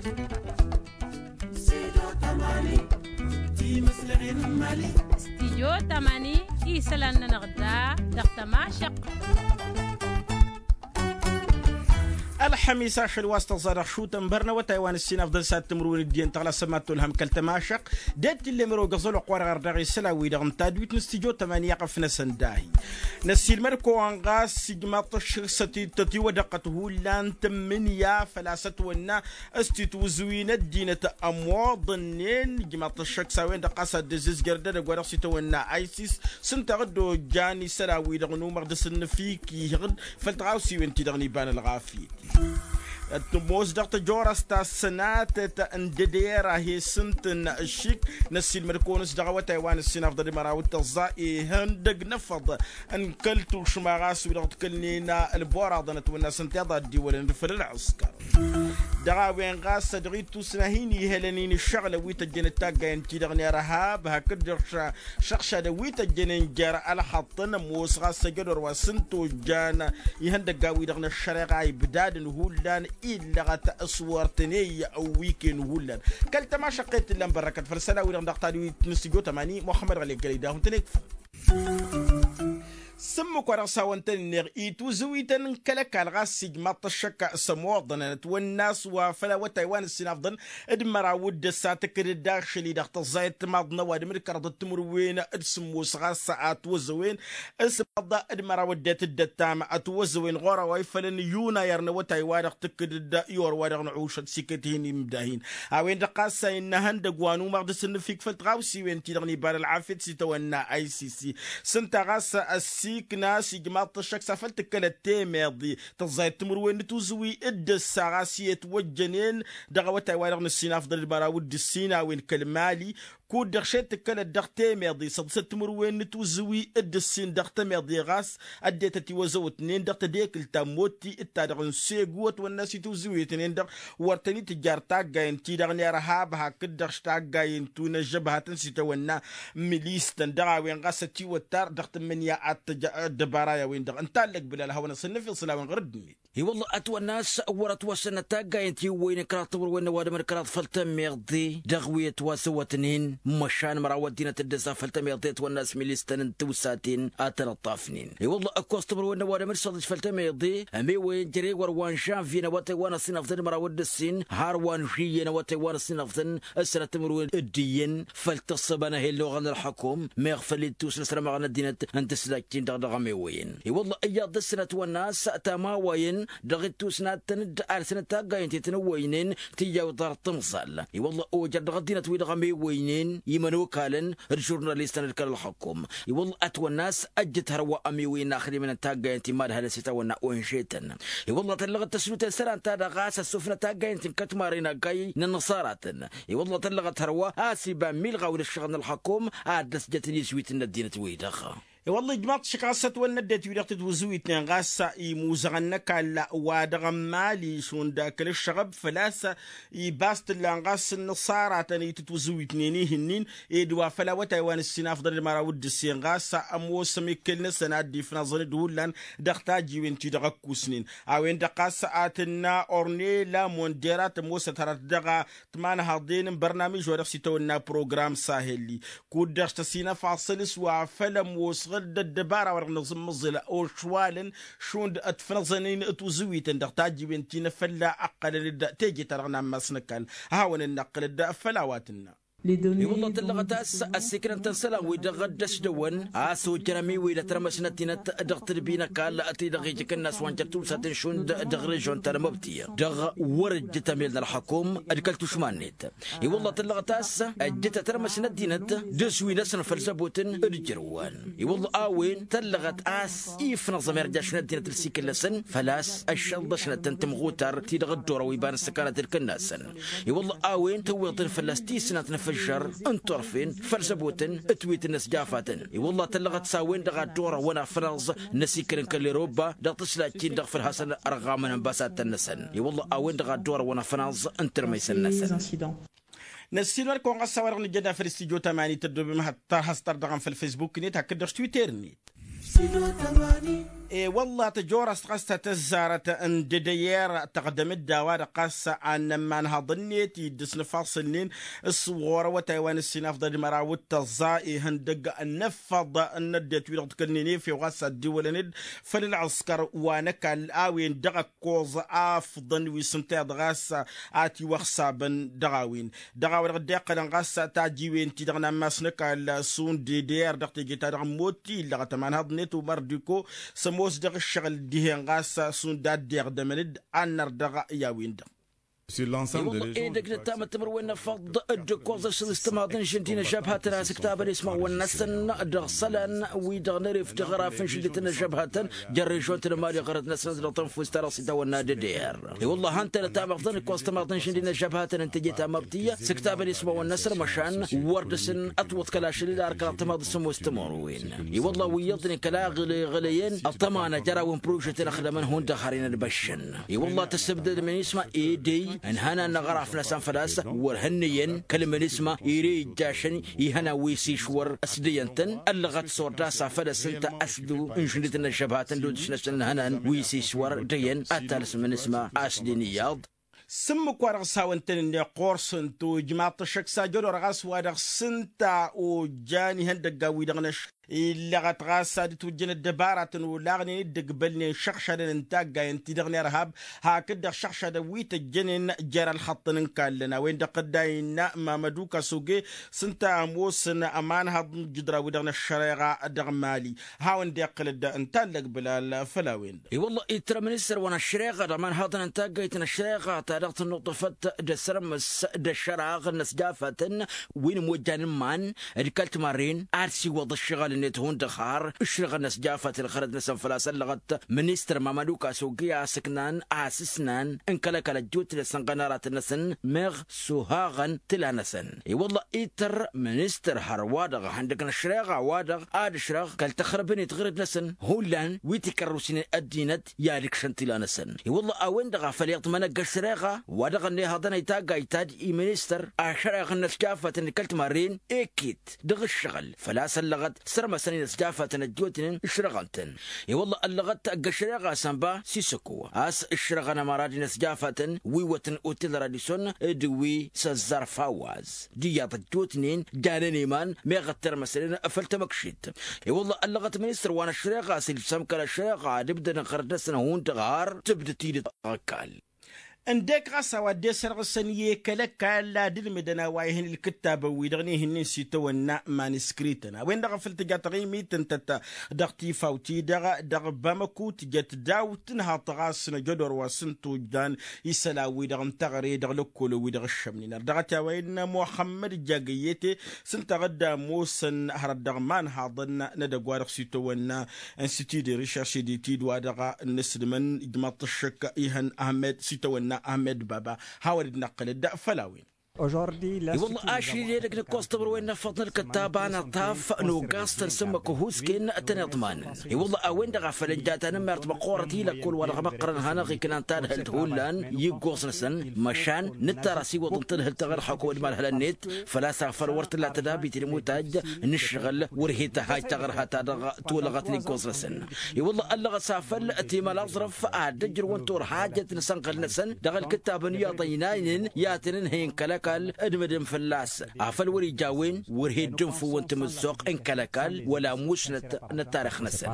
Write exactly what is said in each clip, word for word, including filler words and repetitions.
Stijyo tamani isălan-nănăɣ da dăɣ-tămašăq. Ălxămis ašăl wa s-tăẓẓa dăɣ-šutăn bărnăwătay wa n-ǝssin afḍăn s-ad-timǝrwen d-iyyăn tăɣlasăm ad-tolhăm kăl-tămašăq. D-e-t tillem ero găẓăl oqq wa dăɣ-ardăɣ isălan-wi-dăɣ n-tadwit n-stijyo tamani iyyăɣ ăfnăsăn dahi. Năssiilmăd-kăwăn ɣas ijmaḍ-t ăššăk s-ătităt iwădăqqăt hullan tǝmmǝnǝya făl-a-s ătwănna s-titwǝzǝwin ăddinăt ămoḍănnen. Ijmaḍ-t ăššăk s-a-wen-dăɣ ɣas ad-dd-ăzzizjăr dd-edăgg wa dăɣ-s itawănna isis s-ǝnta a dd-ojjan isălan-wi-dăɣ n-umăɣ dăr-s ǝnnǝfik ihǝd făll-tɣawsiwen-ti-dăɣ n-iba n-ălɣafyăt. Ătmos dăɣ-tăjorăst ta s-sănatăt n-dădera he-s ǝntǝn ǝššik. Năssiilmăd-kăwăn-s dăɣ-awătay wa n-ǝssin afḍăl d-măraw d-tăẓẓa ihăndăg n-efăḍ n-kăl-tušma ɣas wi-dăɣ t-kălnen ălboraḍăn ătwănna s-ǝnta iḍa dd-iwălăn d-făll-ălɣǝskăr. Dăɣ-a-wen ɣas dăɣ-ittusna hin-ihălăn-in ǝššăɣǝlăn wi tăjjănăt taggayen-ti-dăɣ n-irhab hakd-dăɣ šăɣšadăn wi tăjjănen jer-ălxăṭṭăn ămoos ɣas ăjădor wa s-ǝnta ojjan ihăndăggan-wi-dăɣ n-ăššăreɣa ibdadăn hullan illăɣăt s-wăr tăn-ey ăwwiken hullan. Kăl-tămašăqqet tǝllan bărrăkăt făll-isălan-wi-dăɣ dăɣ-tadwit n-astijjo tămani muxămmăd ɣălek gălăy dahu-tăn ekfăn. S-ǝmmǝk wa dăɣ-s hawăn-tăn-ǝnneɣ ituzǝwităn n-kăl-ăkall ɣas ijmaḍ-t ăššăk s-ămoḍăn ănătwănna a-s wa făl-awătay wa n-ǝssin afḍăn d-măraw d-ǝssa tǝkkǝd-dd ašăl-i-dăɣ tăẓẓayăt timaḍ n-ăwadǝm d-kăraḍăt timǝrwen d-sǝmmos ɣas ătwăzăwen s-ămaḍ d-măraw ăddinăt d-ăttam ătwăzăwen ɣur-a-wa ifălăn yunayăr n-awătay wa dăɣ-tǝkkǝd-dd i-orwa dăɣ-năɣušăt s-iket hin-imdahin. A-wen-dăɣ ɣas a innă ihăndăgg wa n-umăɣ dăr-s ǝnnǝfik făll-tɣawsiwen-ti-dăɣ n-iba n-ălɣafyăt s-itawănna icc s-ǝnta ɣas ăssiikna s-ijmaḍ-t ăššăk s-afăl tǝkkălăt temeḍe tăẓẓayăt timǝrwen n-tuzǝwi d-ǝssa ɣas i-ătwăjjănen dăɣ-awătay wa dăɣ-nǝssin afḍăl d-măraw d-ǝssin a-wen kăl-mali. Kud-dăɣ šed tǝkkălăt dăɣ-temeḍe săḍǝsăt timǝrwen n-tuzǝwi d-ǝssin dăɣ-temeḍe ɣas ăddinăt ătiwăzăwătnen dăɣ-tedekǝlt ta n-motti d-ta-dăɣ n-segu ătwănna s-ituzǝwetnen-dăɣ wăr tăn-itǝjjar taggayen-ti-dăɣ n-irhab hakd-dăɣ-š taggayen-tu n-ăžžăbhătăn s-itawănna milis-tăn dăɣ-a-wen ɣas ătiwăttar dăɣ-tǝmmǝnǝya ad-tăj ăddăbara i-a-wen-dăɣ ǝnta allăg bǝlal hawăn-asăn n-afiḍsǝl a-wen ɣur-ăddinăt. I-wălla ătwănna a-s wăr-ătwăssănăt taggayen-ti ǝwwăynen kăraḍ timǝrwen n-ăwadǝm d-kăraḍ făll-tămeḍe dăɣ-wi ătwăzăwătnen măšan măraw ăddinăt dd-ăza făll-tămeḍe ătwănna a-s milis-tăn n-tiwsaten ad-tăn-ăṭṭafnen. I-wălla ǝkkoẓ timǝrwen n-ăwadǝm d-săḍǝj făll-tămeḍe ămewăyăn jere wăr wa n-žănvye n-awătay wa n-ăssinăfḍăn d-măraw d-ǝssin har wa n-žuyye n-awătay wa n-ăssinăfḍăn s-sănăt timǝrwen d-iyyăn făll-tǝssǝba n-ahelloɣăn n-ălxukum meɣ făll-ittus n-asrămaɣ n-ăddinăt n-tǝslajt-in-dăɣ dăɣ-ămewăyăn. I-wălla iyyăḍ dăr-săn ătwănna a-s tamawayen dăɣ-ittus n-ad-tăn-dd-alsănăt taggayen-ti tăn-ǝwwăynen tǝyyăw ḍarăt tǝmẓal. I-wălla ojăr dăɣ-ăddinăt-wi-dăɣ ămewăynen imănokalăn d-žurnalistăn d-kăl-ălxukum. I-wălla ătwănna a-s ăjjǝt hărwa ămewăyăn n-axdimăn n-taggayen-ti mad-hălăn s-itawănna onžetăn. I-wălla tăllăɣăt tăsluten isălan-ta-dăɣ a-s ăssufnăt taggayen-ti n-kătmaren aggay n-inǝṣaratăn. I-wălla tăllăɣăt hărwa a-s iba milɣaw n-ǝššăɣǝl n-ălxukum ad-dd-ăsjătăn izwitǝn n-ăddinăt-wi-dăɣ. I-wălla ijmaḍ-t šik ɣas ătwănna ăddinăt-wi-dăɣ tǝtwǝzǝwitnen ɣas imuzăɣăn n-ăkall wa dăɣ-ămmali šund akǝl ǝššăɣăb făl-a-s iba a-s t-ǝllan ɣas n-inǝṣaratăn i-tǝtwǝzǝwitnen ih'-ǝnnin ed wa făl awătay wa n-ǝssin afḍăn d-măraw d-ǝssin ɣas ămoosăm ikkel-năsăn ad-dd-ifnăẓăn d-hullan dăɣ-tajiwen-ti-dăɣ ăkkusnen. A-wen-dăɣ ɣas a tǝnna ornela mondera tămoosăt hărăt dăɣ-a tǝmanhăḍen n-bărnamij wa dăɣ-s itawănna program sahel-i. Kud-dăɣ s-tăsinăfaḍ săl-s wa făl ămoosăɣ-dd ăddăbara wa dăɣ-nǝẓǝmmǝẓǝl ošwalăn šund ătfnăẓăn-in tuzǝwităn dăɣ-tajiwen ti n-afălla ăqqălăn-dd teje-ta-dăɣ n-ammas n-ăkall a hawăn-dd-năqqǝl-dd făll-a-wa tǝnna. I-wălla tăllăɣăt a-s ăssiiknăn-tăn isălan-wi-dăɣ dd-ăsdăwăn a-s ojjăn ămiwǝy d-ătrămăs n-ăddinăt dăɣ-tǝdbi n-ăkall ti-dăɣ ijǝkǝnnas wa n-jer-tiwsaten šund dăɣ-režon ta n-amăbti dăɣ-wăr-ǝjjǝt ămel n-ălxukum d-kăl-tušma-net. I-wălla tăllăɣăt a-s ăjjǝt ătrămăs n-ăddinăt d-ăswin-năsăn făll-zăbotăn d-ijrǝwăn. I-wălla a-wen tăllăɣăt a-s ifnăẓăm irjaš n-ăddinăt ǝlsikǝl-năsăn făl-a-s ăššălḍăšnăt n-timɣutar ti-dăɣ dd-orăw iba n-ǝssǝkanăt d-kănnasăn. I-wălla a-wen tǝwweḍ-tăn fălla-s tisnant n-afǝžžăr n-turfen făll-zăbotăn d-tǝwit-năs jafatăn. I-wălla tăllăɣăt s-a-wen-dăɣ a dd-orăwăn afnăẓ n-asikăl n-kăl-eroba dăɣ-tǝslajt-in-dăɣ făll-hasăn-ărɣamăn ănbasatăn-năsăn. I-wălla a-wen-dăɣ a dd-orăwăn afnăẓ n-tirmăysăn-năsăn. Năssiilmăd-kăwăn ɣas a-wa-dăɣ nǝjjăd afăl s-tijot aman ităddobem har has-tărdăɣăm făll-facebook-net hakd-dăɣ s-twitter-net. E-wălla tăjorăst ɣas ta tăzzarăt n-dedeyer tăɣdăm-dd a-wa-dăɣ ɣas a n-ămmanhăḍ-net iddǝs n-ifaṣǝl-nin s-ɣur-awătay wa n-ǝssinafḍăd măraw d-tăẓẓa ihăndăgg n-ǝffăḍ n-ăddinăt-wi-dăɣ d-kăl-ninefew ɣas a dd-iwălăn-dd făll-ălɣǝskăr wa n-ăkall a-wen dăɣ-ăkkoẓ afḍăn wi s-ǝnta iyyăḍ ɣas a tiwăxsabăn dăɣ-a-wen. Dăɣ-a-wa-dăɣ dd-iqqălăn ɣas tajiwen-ti-dăɣ n-ammas n-ăkall šund eder dăɣ-teje-ta-dăɣ n-mot illăɣăt ămanhăḍ-net umărdiko s-ămoos dăɣ-ǝššăɣǝl dihen ɣas šund a dd-iɣdămăn-dd ad-năr dăɣ-i a-wen-dăɣ. I-wălla edăgg n-ăttamăt timǝrwen n-efăḍ dd-ǝkkoẓ ašăl s-timaḍ n-žǝndi n-ăžžăbhătăn a-s ǝktabăn ismawăn-năsăn dăɣ-isălan-wi-dăɣ n-eref tiɣăraf n-žǝndit n-ăžžăbhătăn jăr režon-tăn ămali ɣărăt-năsăn dăɣ-tănfust-ta-dăɣ s-itawănna d-eder. I-wălla a han-tăn-ăttam ăfḍăn ǝkkoẓ timaḍ n-žǝndi n-ăžžăbhătăn n-teje ta mabtǝy s-ǝktabăn ismawăn-năsăn măšan wăr dăr-săn ătwăḍkăl ašăl d-arkăl ăṭṭămaḍ s-ămoos timǝrwen. I-wălla wi iyyăḍnen kăla ăɣlăyăn ăṭṭăma n-ajăraw n-prožet n-ăxdămăn hundăɣ har inălbăššăn. I-wălla tăsǝbdăd mănisma edăy n-ihănan n-aɣăraf-năsăn făl-a-s wăr hănnăyăn kăl-mănisma ere ijjašăn ihănan wi s-išwăr ăsdăyăn-tăn ăllăɣăt s-wăr d-asaf ad-ăsǝnta ăsdǝw n-žǝndit n-ăžžăbhătăn d-odǝs-năsăn n-ihănan wi s-išwăr dăyăn ad-talǝs mănisma a-s dd-inǝyyaḍ. S-ǝmmǝk-wa-dăɣ s-hawăn-tăn-ǝnneɣ ɣur-săn tojmaḍ-t ăššăk s-ajădor ɣas wa dăɣ-s ǝnta ojjan ihăndăggan-wi-dăɣ n-ăššăk illăɣăt ɣas ad-ǝtwǝjjăn ăddăbaratăn olaɣnen dd-ǝgbălnen šăɣšadăn n-taggayăn-ti-dăɣ n-irhab hakd-dăɣ šăɣšadăn wi tăjjănen jer-ălxăṭṭăn n-kallăn a-wen-dăɣ tădda innă mamădu kasoge s-ǝnta ămoosăn ămanhăḍ n-ijǝdra-wi-dăɣ n-ăššăreɣa dăɣ-mali. Hawăn-dd-iqqǝl-dd n-tallăg bǝlal făll-a-wen-dăɣ. I-wălla ittăr ministăr wa n-ăššăreɣa d-amănhăḍăn n-taggayt n-ăššăreɣa ta dăɣ-tǝnnuṭṭăfăt d-asărmǝs d-ăššăraɣ n-ăsjafătăn wi n-imojjan n-iman d-kăl-timarren ad-siwăḍ ǝššăɣǝl-net hundăɣ har ǝšrăɣăn ăsjafăt ălxărăt-năsăn făl-a-s ăllăɣăt ministăr mamădu kasoge a-s ǝknan asǝsnan n-kăl-ăkall ăjjootnen s-ănɣănaratăn-năsăn meɣ suhaɣăn tǝla-năsăn. I-wălla ittăr ministăr hărwa-dăɣ ihăndăg n-ăššăreɣa-wa-dăɣ ad-ǝšrăɣ kăl-tăxrǝbnet ɣǝrǝd-năsăn hullan wi tikărrusnen ăddinăt i-ad-ǝkšăn tila-năsăn. I-wălla a-wen-dăɣ a făl iyyăḍ mănăgg ăššăreɣa wa dăɣ-ănnihăḍăn i-taggayt ta d-i-ministăr ašăreɣ n-ăsjafătăn d-kăl-timarren ekit dăɣ-ǝššăɣǝl făl-a-s ăllăɣăt sărmăsăn-in ăsjafătăn ăjjootnen ǝšrăɣăn-tăn. I-wălla ăllăɣăt ăgg-ăššăreɣa s-ănba sisăko a-s ǝšrăɣăn ămăra d-inăsjafătăn wi wătăn otel radison d-wi s-ăzzar fawaz d-iyyăḍ ăjjootnen janen iman meɣ ăttărmăsnen făll-tamăkšit. I-wălla ăllăɣăt ministăr wa n-ăššăreɣa a-s ilsăm kăl-ăššăreɣa ad-ǝbdădăn ɣărăt-năsăn hundăɣ har tǝbdăd tidǝt ăkall. Ǝndek ɣas a-wa dd-esărɣǝsăn i-kăl-ăkall ad-ǝlmǝdăn a-wa ihăn ǝlkǝttabăn-wi-dăɣ n-ihǝnnin s-itawănna maniskrităn a-wen-dăɣ a făl tǝja taɣimit ǝntăt dăɣ-tifawt-i-dăɣ dăɣ-bamăku tǝjăt daw-tǝnhaḍt ɣas n-ajădor wa s-ǝnta ojjan isălan-wi-dăɣ n-teɣăre dăɣ-lăkkolăn-wi-dăɣ ǝššămnen ărdăɣăt i-a-wa innă muxămmăd ǝjja găyyete s-ǝnta ɣǝdda ămoosăn hărăt dăɣ-imanhaḍăn n-edăgg-wa-dăɣ s-itawănna n-sitideri šašeditid wa dăɣ-nǝsdǝmăn ijmaḍ-t ăššăk ihăn ahmed s-itawănna ahmed baba. Hawăn-dd-năqqǝlăd făll-a-wen. I-wălla ašăl-i edăgg n-ǝkkoẓ tămrăwen n-efăḍ n-ǝlkǝttaba n-aṭaf n-ogaẓ-tăn s-ǝmmǝk uhusken tăn-iḍmanăn. I-wălla a-wen-dăɣ a făl ăjja tanǝmmert măqqoorăt i-lăkkol wa dăɣ-măqqărăn hanăɣ-iknan tadhǝlt hullan i-ǝggoẓ-năsăn măšan nǝttar asiwăḍ n-tadhǝlt taɣărhăko d-imalhălăn-net. Făl-a-s afăl wăr t-tǝlla tădabit d-imutaj n-ǝššăɣǝl wăr he-tăhhaj taɣărha-ta-dăɣ tolăɣăt n-iggoẓ-năsăn. I-wălla ăllăɣăt s-afăl timălaẓrăf ad-dd-ăjrăwăn turhajăt n-asănɣăl-năsăn dăɣ-ǝlkǝttabăn iyyăḍ ăynaynen i-ad-tăn-ǝnhăyăn kăl-ăkall d-mădǝn fălla-s afăl wăr-ija a-wen wăr he-dd-ǝnfǝwăn timǝzzuɣt n-kăl-ăkall wăla musnăt n-ăttarix-năsăn.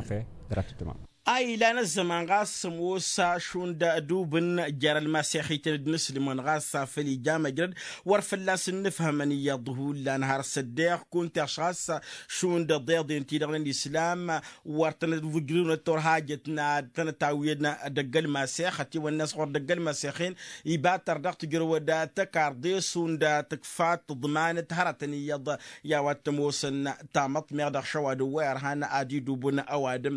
A ilan ăzzăman ɣas ămoos šund adubǝn jer-ălmasexităn d-inǝslǝmăn ɣas afăl ija măjrăd wăr fălla-s ǝnnǝfhămăn iyyăḍ hullan har s-ăddeɣ kunta ɣas šund ăḍeḍen-ti-dăɣ n-ălislam wăr tăn-ăvujrǝwnăt turhajăt n-ad-tăn-ătawǝyăn dăgg-ălmasex ătiwănna a-s ɣur-dăgg-ălmasexen ibatăr dăɣ-tǝjrǝwăd tăkarḍe šund tǝkfa tǝḍmanăt hărătăn iyyăḍ i-a-wa t-ămoosăn tamăḍt meɣ dăɣ-šăwadǝm wa irhan ad-idubǝn ăwadǝm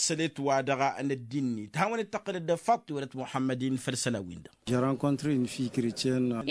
s-sălet wa dăɣ-năddinnit hawăn-dd-tăqqǝlăd faṭṭ iwălăt muḥămmăd-in făll-isălan-win-dăɣ.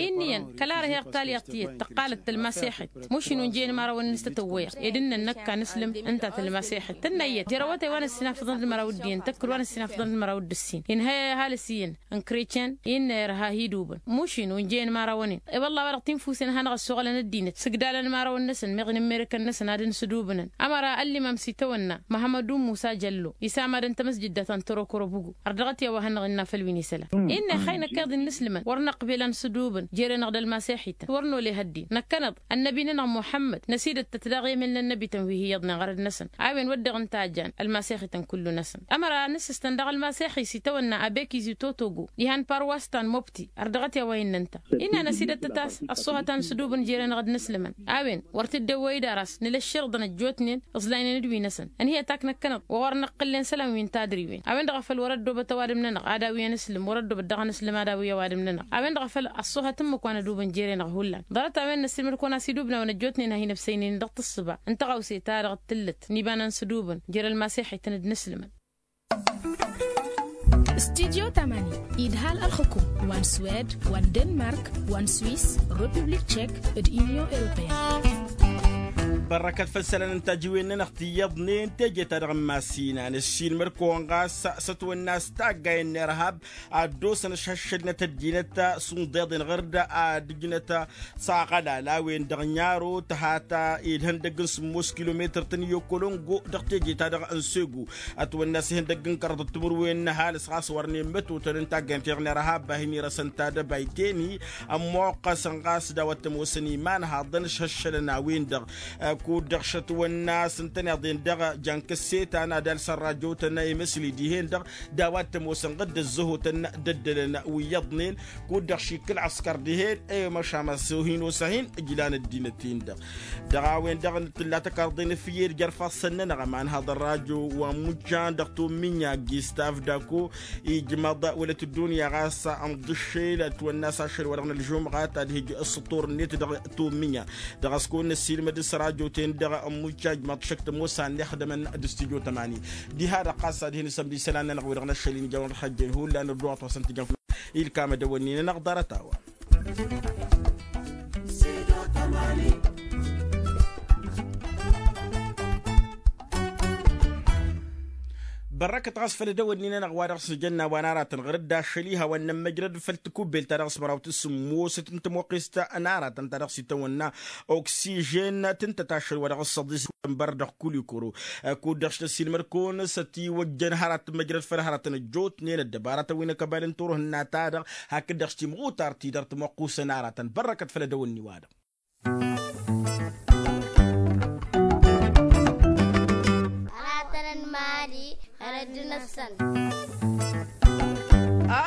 Inn'-iyyăn kăla ărheɣ talyaḍt tiyyăt tăqqalăt tălmasexit mušin unjăyăn imărawăn-in s-tătăwwăyăɣ ed ǝnnăn năkk a nǝslǝm ǝnta tălmasexit tǝnna iyyăt jer-awătay wa n-ăssinafăḍăn d-măraw d-iyyăn tăkkǝl wa n-ăssinafăḍăn d-măraw d-ǝssin inhăy ăhalǝs iyyăn n-kretyan innă irha idubǝn mušin unjăyăn imărawăn-in. I-wălla a-wa dăɣ-tinfusen hanăɣ-ăssoɣălăn ăddinăt s-ǝgdalăn imărawăn-năsăn meɣ inǝmmerǝkăn-năsăn ad-ǝnsǝdubǝnăn ămăra ăllimam s-itawănna măhămmăd ummu s-ajăllo isa. Ămadăn tamăsjǝdda ta n-tărokoro bugu ărdăɣăt i-a-wa hannăɣ-innă făll-wi n-isălan. Innă ixay năkk iḍ-i n-inǝslǝmăn wăr năqbel a n-sǝdubǝn jere-năɣ d-ălmasixităn wăr nole ihăddin năkkăneḍ ănnăbi-nănăɣ muḥămmăd năsidăttăt daɣ i-emel n-ănnăbităn wi hi-iyyăḍnen ɣărăd-năsăn a-wen wădden ǝnta a jan ălmasixităn kullu-năsăn. Ămăra a nǝssǝstăn dăɣ-ălmasixi s-itawănna abek izi totogo ihan paroas ta n-mobti ărdăɣăt i-a-wa innă ǝnta innă năsidăttăt a-s ăṣṣuhăt a n-sǝdubǝn jere-năɣ d-inǝslǝmăn. A-wen wăr t-dd-ewwăy-dd ar a-s nǝla ăšširǝḍăn ăjjootnen ǝẓlaynen d-wi-năsăn. Ănhǝyăt ak năkkăneḍ wa wăr năqqǝllen isălan wi n-tadriwen a-wen-dăɣ a făl wăr-ăddoobăt ăwadǝm-nănăɣ ad-awǝyăn isǝlǝm wăr-ăddoobăt dăɣ-inǝslǝm ad-awǝy ăwadǝm-nănăɣ. A-wen-dăɣ a făl ăṣṣuhăt ǝmmǝk wa n-ădubǝn jere-năɣ hullan ḍarăt a-wen năssiilmăd-kăwăn-as idubnawen ăjjootnen a hin-ăbsăynen dăɣ-tǝssǝba n-tăɣawse-ta-dăɣ t-tǝllǝt n-iba n-sǝdubǝn jer-ălmasex-ităn d-inǝslǝmăn. Studyo tamani idhal ălxǝkum wa n-swed wa n-denmark wa n-swis, republik tšek d-unyon europeyăn. Bărrăkăt făll-isălan n-tajiwen-nănăɣ ti iyyăḍnen teje-ta-dăɣ n-masinăn ăssiilmăd-kăwăn ɣas s-ătwănna s-taggay n-irhab ad-dd-osăn ăšhăššălnăt ăddinăt s-unḍeḍ-en ɣăr-dd ad-ǝjnăt s-aɣălal a-wen-dăɣ n-aro tăhat. Ed ihăndăgg n-sǝmmos kilometăr-tăn i-okolongo dăɣ-teje-ta-dăɣ n-sego ătwănna s-ihăndăgg n-kăraḍăt timǝrwen n-ăhalǝs ɣas wărnen mătotăn n-taggayăn-ti-dăɣ n-irhab a hin-irăsăn tadăbayt-en-hi ămmoqqăsăn ɣas d-a-wa t-ămoosăn imanhaḍăn ǝšhăššălăn a-wen-dăɣ. Kud-dăɣ šătwănna s-ǝntăneḍ-en-dăɣ jankăssetan ad-alsăn rajotăn i-măsli dihen-dăɣ d-a-wa t-ămoosăn ɣǝdd ăzzăhotăn d-ăddălăn wi iyyăḍnen. Kud-dăɣ šikkǝl ăskăr dihen i-măšamăs hin-osa hin-ǝjlan ăddinăt-in-dăɣ. Dăɣ-a-wen-dăɣ tǝlla tăkarḍen ăfyed jer-ifassăn-nănăɣ ămanhăḍ ărrajo wa n-mujjan dăɣ-tommǝnya gistav dako ijmăḍ wălăt ăddunya ɣas ănḍǝššel ătwănna s-ašăl wa dăɣ-nălžumɣat ad-hijj s-ăṭṭur-net dăɣ-tommǝnya. Dăɣ-a-s kăwăn-năssiilmăd s-rajo-ten-dăɣ n-mujjan ijmăḍ šăkk tămoos a ănnixdămăn d-studyo tămani. Diha-dăɣ ɣas ad-hin-isămd isălan-nănăɣ wi-dăɣ năššăl-in ijawăn ălxăjjen hullan ădduɣăt wa s-ăntǝjăn făll-ilkam ădăwănnin-nănăɣ ḍarăt-a-wa. Bărrăkăt ɣas făll-edăwănnin-nănăɣ wa dăɣ-s nǝjănna wa n-aratăn ɣur-dd ašăl-i hawăn-nămmăjrăd făll-tikubbelt ta dăɣ-s măraw tǝssǝmmosăt n-tămoqqest n-aratăn ta dăɣ-s itawănna oksižen tǝntăt ašăl wa dăɣ-s săḍis. Ănbăr dăɣ-kulikuro kud-dăɣ s-tăssilmăd-kăwăn s-ătiwăjjăn hărăt măjrăd făll-hărătăn ăjjootnen ăddăbarătăn wi n-akăbal n-turhǝnna-ta-dăɣ hakd-dăɣ s-timɣutart-i dăr-tămoqqusăn aratăn bărrăkăt făll-edăwănni-wa-dăɣ. Aratăn n-imali hărăt d-năssăn.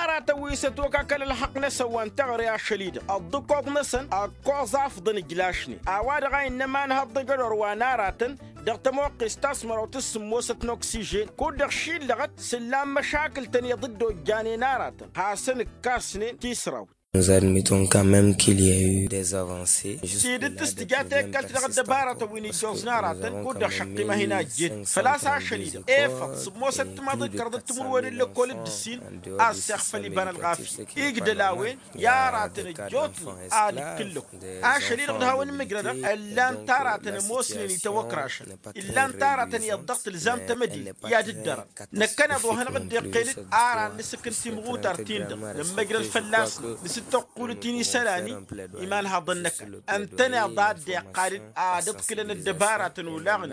Aratăn wi s-ătwăkakăl ălxăqq-năsăn wa n-teɣăre ašăl-i-dăɣ ăḍḍǝkoḍ-năsăn ăkkoẓ afḍăn ǝjlašnen a-wa-dăɣ a innă imanhăḍ d-ajădor wa n-aratăn dăɣ-tămoqqest ta s-măraw tǝssǝmmosăt n-oksižen kud-dăɣ šillăɣăt s-ǝllan măšakǝl-tăn iyyăḍ dd-ojjanen aratăn hasăn-ǝkkasnen tisrawt. Nous admettons quand même qu'il y a eu des avancées. Tidǝt s-tǝja tekkălt dăɣ-ăddăbarătăn wi n-ijjoẓ n-aratăn kud-dăɣ šăqqim a hin-ajjen făl-a-s ašăl-i-dăɣ efăḍ sǝmmosăt timaḍ d-kăraḍăt timǝrwen n-lăkkol d-ǝssin a ăssexfăl iba n-ălɣafyăt igdăl a-wen i-aratăn ăjjootnen ad-ǝkkǝllăku. Ašăl-i-dăɣ d-hawăn-imǝjrădăɣ ǝllan-t aratăn ămoosnen itawăkrašăn ǝllan-t aratăn iyyăḍ dăɣ-tǝlzam tamădit i-ad-ǝddărăn. Năkkăneḍ wa hanăɣ-dd-iqqel-dd ar ad-nǝsǝkkǝn timɣutart-in-dăɣ nǝmmăjrăd fălla-s nǝsǝttăqqul-t-in isălan-i imanhaḍăn-năkk ǝntăneḍ a dd-iqqal-dd ad-ǝḍkǝlăn ăddăbaratăn olaɣnen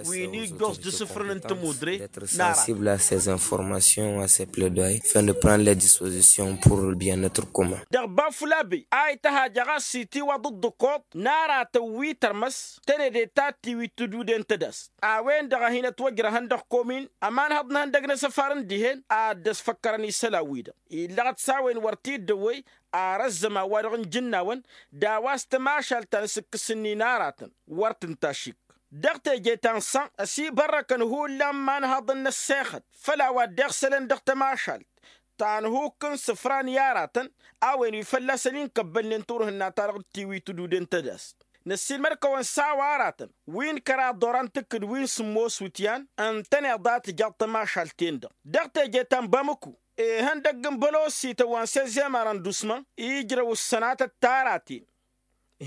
wi n-ijjoẓ d-asǝfrǝn n-tămudre. N-aratăn sensible à ces informations, à ces plaidoyers, afin de prendre les dispositions pour le bien-être commun. Dăɣ-bafulabe a ităhaj ɣas s-itiwăḍ ǝḍḍǝkoḍ n-aratăn wi tărmăs tănede ta tiwit tǝduden tădast a-wen-dăɣ a hin-ătwăjrăhăn dăɣ-komin ămanhăḍ n-ihăndăg n-asăfar n-dihen ad-dd-ăsfăkkărăn isălan-wi-dăɣ illăɣăt s-a-wen wăr t-dd-ăwwăy. Ar ăzzăman wa dăɣ-nǝjǝnnawăn d-a-wa s-tămašalt ta n-asǝkkǝs-ǝnnin aratăn wăr tǝnta ašik. Dăɣ-teje ta n-săn ăsibărrăkăn hullan imanhaḍăn n-ăssexăt făll-a-wa dd-iɣsălăn dăɣ-tămašalt ta n-hukk n-isǝfran i-aratăn a-wen wi fălla-săn inkăbbălnen turhǝnna-ta-dăɣ d-tiwi tǝduden tădast. Năssiilmăd-kăwăn s-a-wa aratăn wi n-kăraḍ oran-t ǝkkǝd wi n-sǝmmos wǝtyan ǝntăneḍ a tǝjaḍ tămašalt-en-dăɣ dăɣ-teje ta n-bamǝku ihăndăgg n-bălosităn wa n-sezem arăndusmăn ijrăw ǝssănatăt ta araten.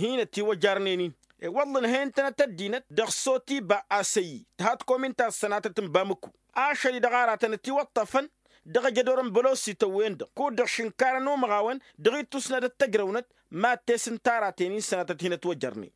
Hin-ătiwăjarnen-in iwăḍlăn he-intănăt ăddinăt dăɣ-sotiba asăyyi tǝha tikomin ta ăssănatăt n-bamǝku ašăl-i-dăɣ aratăn ătiwăṭṭăfăn dăɣ-ajădor n-bălosităn-wen-dăɣ kud-dăɣ šǝnkarăn umăɣawăn dăɣ-ittusnădăt tăjrăwnăt mad-tesǝn taraten-in sănatăt hin-ătwăjărnen.